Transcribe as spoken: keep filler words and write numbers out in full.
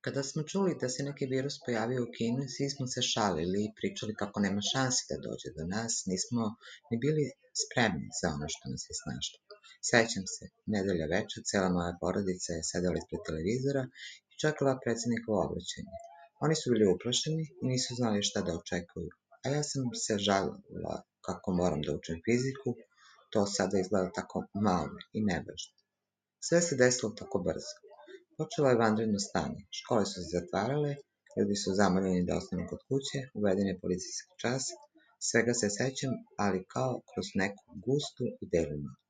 Kada smo čuli da se neki virus pojavio u Kini, svi smo se šalili i pričali kako nema šanse da dođe do nas, nismo ni bili spremni za ono što nas je snašlo. Sećam se, nedelja večer, cela moja porodica je sedela ispred televizora i čekala predsednikovo obraćanje. Oni su bili uplašeni i nisu znali šta da očekuju, a ja sam se žalila kako moram da učim fiziku, to sada izgleda tako malo i nevažno. Sve se desilo tako brzo. Počelo je vanredno stanje, škole su se zatvarale, ljudi su zamoljeni da ostanu kod kuće, uveden je policijski čas, svega se sećam, ali kao kroz neku gustu i belu noć.